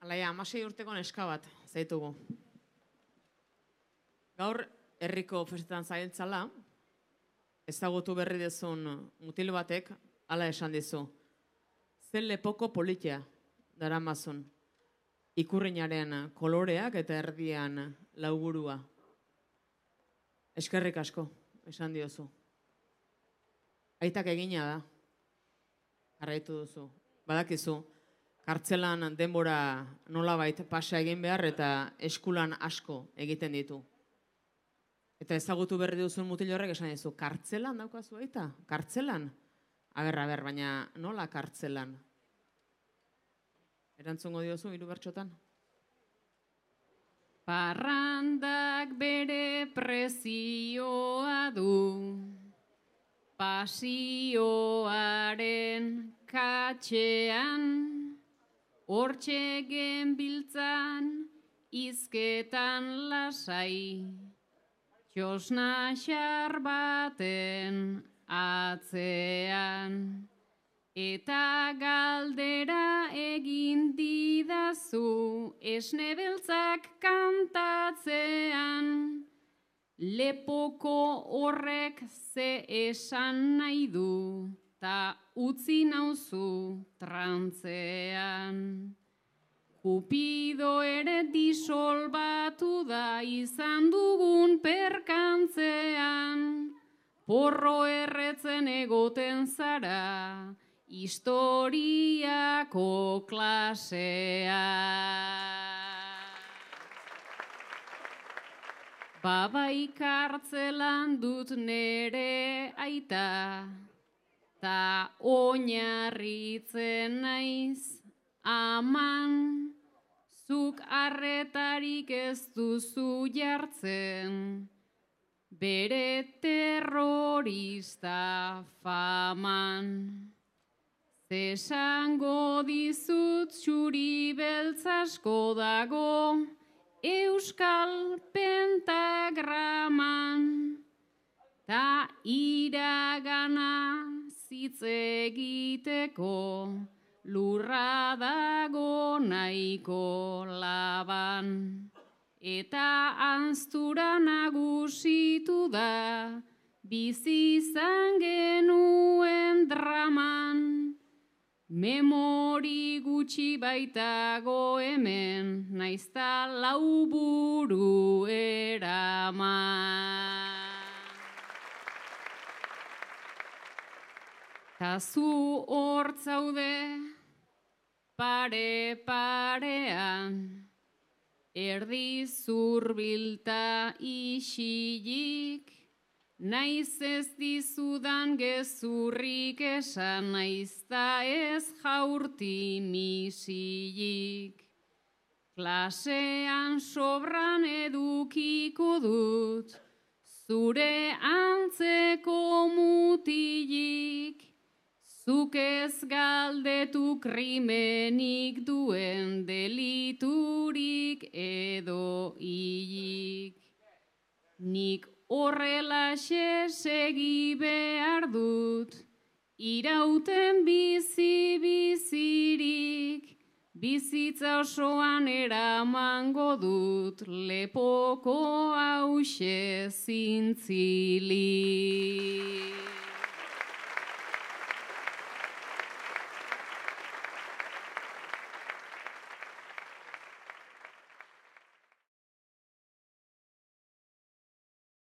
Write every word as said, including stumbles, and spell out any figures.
Alaia, amasei urteko neska bat, zaitugu. Gaur, herriko festetan zailtzala, ezagutu berri dezun mutil batek, hala esan dizu. Zen lepoko politia, daramazun. Ikurrinaren koloreak eta erdian lauburua. Eskerrik asko, esan diozu. Aitak egina da. Jarraitu duzu. Badakizu, kartzelan denbora nolabait pasa egin behar eta eskulan asko egiten ditu. Eta ezagutu berri duzun mutil horrek esan dizu, kartzelan daukazu aita? Kartzelan? Aber, aber, baina nola kartzelan? Erantzungo diozu, hiru bertxotan? Parrandak bere prezioa du, pasioaren katxean, hortxe genbiltzan izketan lasai, txosna xar baten atzean. Eta galdera egin didazu esne beltzak kantatzean, lepoko horrek ze esan nahi du, ta utzi nauzu trantzean. Kupido ere disolbatu da izan dugun perkantzean, porro erretzen egoten zara, historiako klasea. Babai kartzelan dut nere aita, ta oinarritzen naiz aman, zuk arretarik ez duzu jartzen, bere terrorista faman. Zesango dizut txuri beltzasko dago euskal pentagraman, ta iragana zitz egiteko lurra dago nahiko laban. Eta anztura nagusitu da bizi izan genuen draman. Memori gutxi baitago hemen, naizta lau buru eraman. Ta zu hortzaude pare parean, erdi zurbilta isilik, naiz ez dizudan gezurrik esan, naizta ez jaurti misilik. Klasean sobran edukiko dut, zure antzeko mutilik, zuk ez galdetu krimenik duen deliturik edo hilik. Nik horrelaxe segi behar dut, irauten bizi bizirik, bizitza osoan eramango dut, lepoko hause zintzilik.